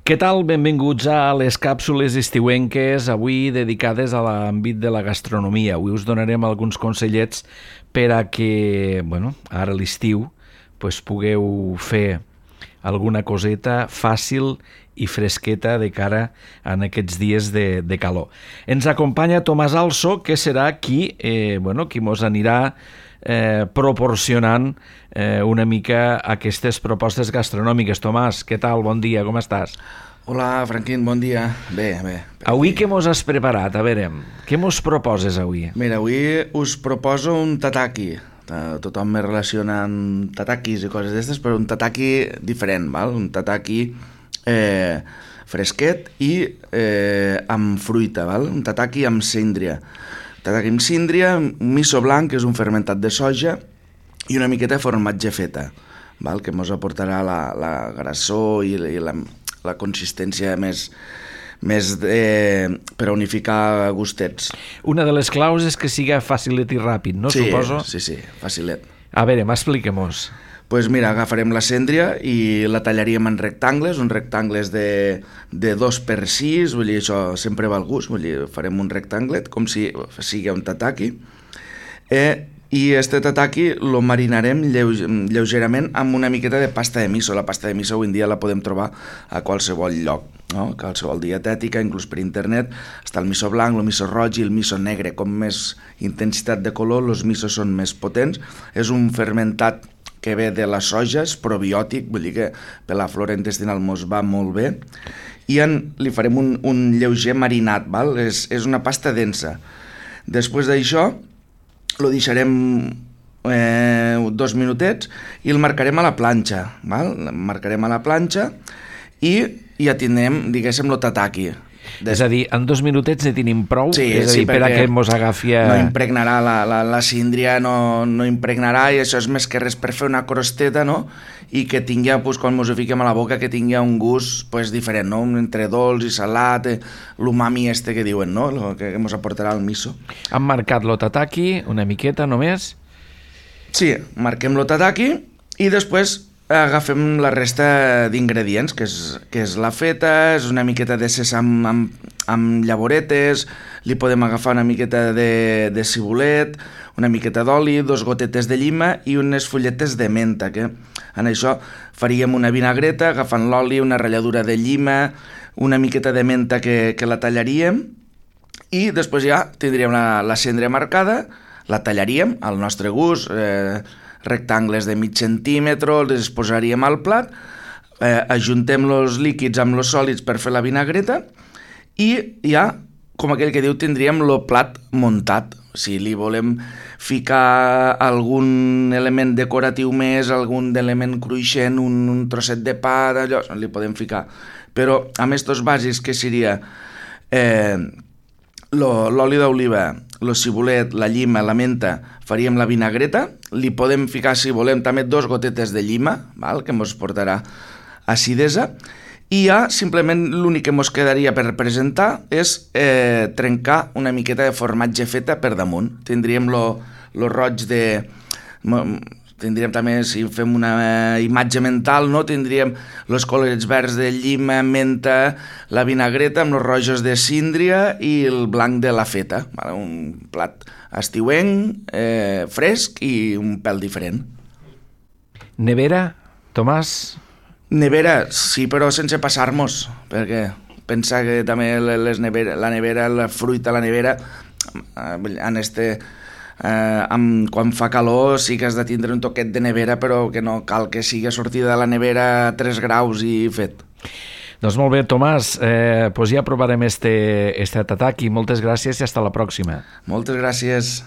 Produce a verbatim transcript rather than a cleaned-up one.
Què tal? Benvinguts a les càpsules estiuenques, avui dedicades a l'àmbit de la gastronomia. Avui us donarem alguns consellets per a que, bueno, ara a l'estiu, pues, pugueu fer alguna coseta fàcil i fresqueta de cara en aquests dies de, de calor. Ens acompanya Tomàs Also, que serà qui, eh, bueno, qui mos anirà eh, proporcionant eh, una mica aquestes propostes gastronòmiques. Tomàs, què tal? Bon dia, com estàs? Hola, Franquín, bon dia. Bé, bé. Avui què mos has preparat? A veure, què mos proposes avui? Mira, avui us proposo un tataki. Tothom me relaciona amb tatakis i coses d'aquestes, però un tataki diferent, val? Un tataki eh, fresquet i eh, amb fruita, val? Un tataki amb síndria. Tataki amb síndria, un miso blanc, que és un fermentat de soja, i una miqueta de formatge feta, val? Que mos aportarà la, la grassor i, i la, la consistència més... més de, per unificar gustets. Una de les claus és que siga facilet i ràpid, no? Sí, Suposo? sí, sí, facilet. A veure, expliquem-nos. Doncs pues mira, agafarem la síndria i la tallaríem en rectangles, uns rectangles de, de dos per sis, vull dir, això sempre va al gust, vull dir, farem un rectanglet com si sigui un tataki. Eh, I este tataki lo marinarem lleu- lleugerament amb una miqueta de pasta de miso. La pasta de miso avui en dia la podem trobar a qualsevol lloc, no? Qualsevol dietètica, inclús per internet. Està el miso blanc, el miso roig i el miso negre. Com més intensitat de color, els misos són més potents. És un fermentat que ve de la soja, és probiòtic, vull dir que per la flora intestinal mos va molt bé. I en, li farem un, un lleuger marinat, val? És, és una pasta densa. Després d'això, lo deixarem eh, dos minutets i el marcarem a la planxa, val? El marcarem a la planxa i ja tindrem, diguéssim, lo tataki. Des... És a dir, en dos minutets ne tenim prou? Sí, és a sí, dir, per a que mos agafi a... no impregnarà la, la, la síndria, no, no impregnarà, i això és més que res per fer una crosteta, no? I que tingui, pues, quan mos ho fiquem a la boca, que tingui un gust pues, diferent, no? Entre dolç i salat, eh, l'umami este que diuen, no? Lo que, que mos aportarà el miso. Hem marcat lo tataki, una miqueta només? Sí, marquem lo tataki i després agafem la resta d'ingredients, que és, que és la feta, és una miqueta de sèsam amb, amb llavoretes, li podem agafar una miqueta de, de cibulet, una miqueta d'oli, dos gotetes de llima i unes fulletes de menta, que en això faríem una vinagreta agafant l'oli, una ratlladura de llima, una miqueta de menta que, que la tallaríem i després ja tindríem la, la cendra marcada, la tallaríem al nostre gust, eh, rectangles de mig centímetre, els posaríem al plat, eh, ajuntem els líquids amb els sòlids per fer la vinagreta i ja, com aquell que diu, tindríem el plat muntat. Si li volem ficar algun element decoratiu més, algun element cruixent, un, un trosset de pa, d'allò, li podem ficar. Però amb estos bàsics, que seria eh, l'oli d'oliva, el cibulet, la llima, la menta, faríem la vinagreta, li podem ficar, si volem, també dos gotetes de llima, val? Que ens portarà acidesa, i ja simplement l'únic que ens quedaria per presentar és eh, trencar una miqueta de formatge feta per damunt. Tindríem lo, lo roig de... Tindríem també, si fem una imatge mental, no? Tindríem els colorets verds de llima, menta, la vinagreta amb els rojos de síndria i el blanc de la feta. Un plat estiuenc, eh, fresc i un pèl diferent. Nevera, Tomàs? Nevera, sí, però sense passar-nos, perquè pensa que també les nevera, la nevera, la fruita, la nevera, en este... Eh, amb, quan fa calor sí que has de tindre un toquet de nevera, però que no cal que sigui sortida de la nevera a tres graus i fet. Doncs molt bé, Tomàs, eh, pues ja provarem este, este tataki. Moltes gràcies i hasta la pròxima. Moltes gràcies.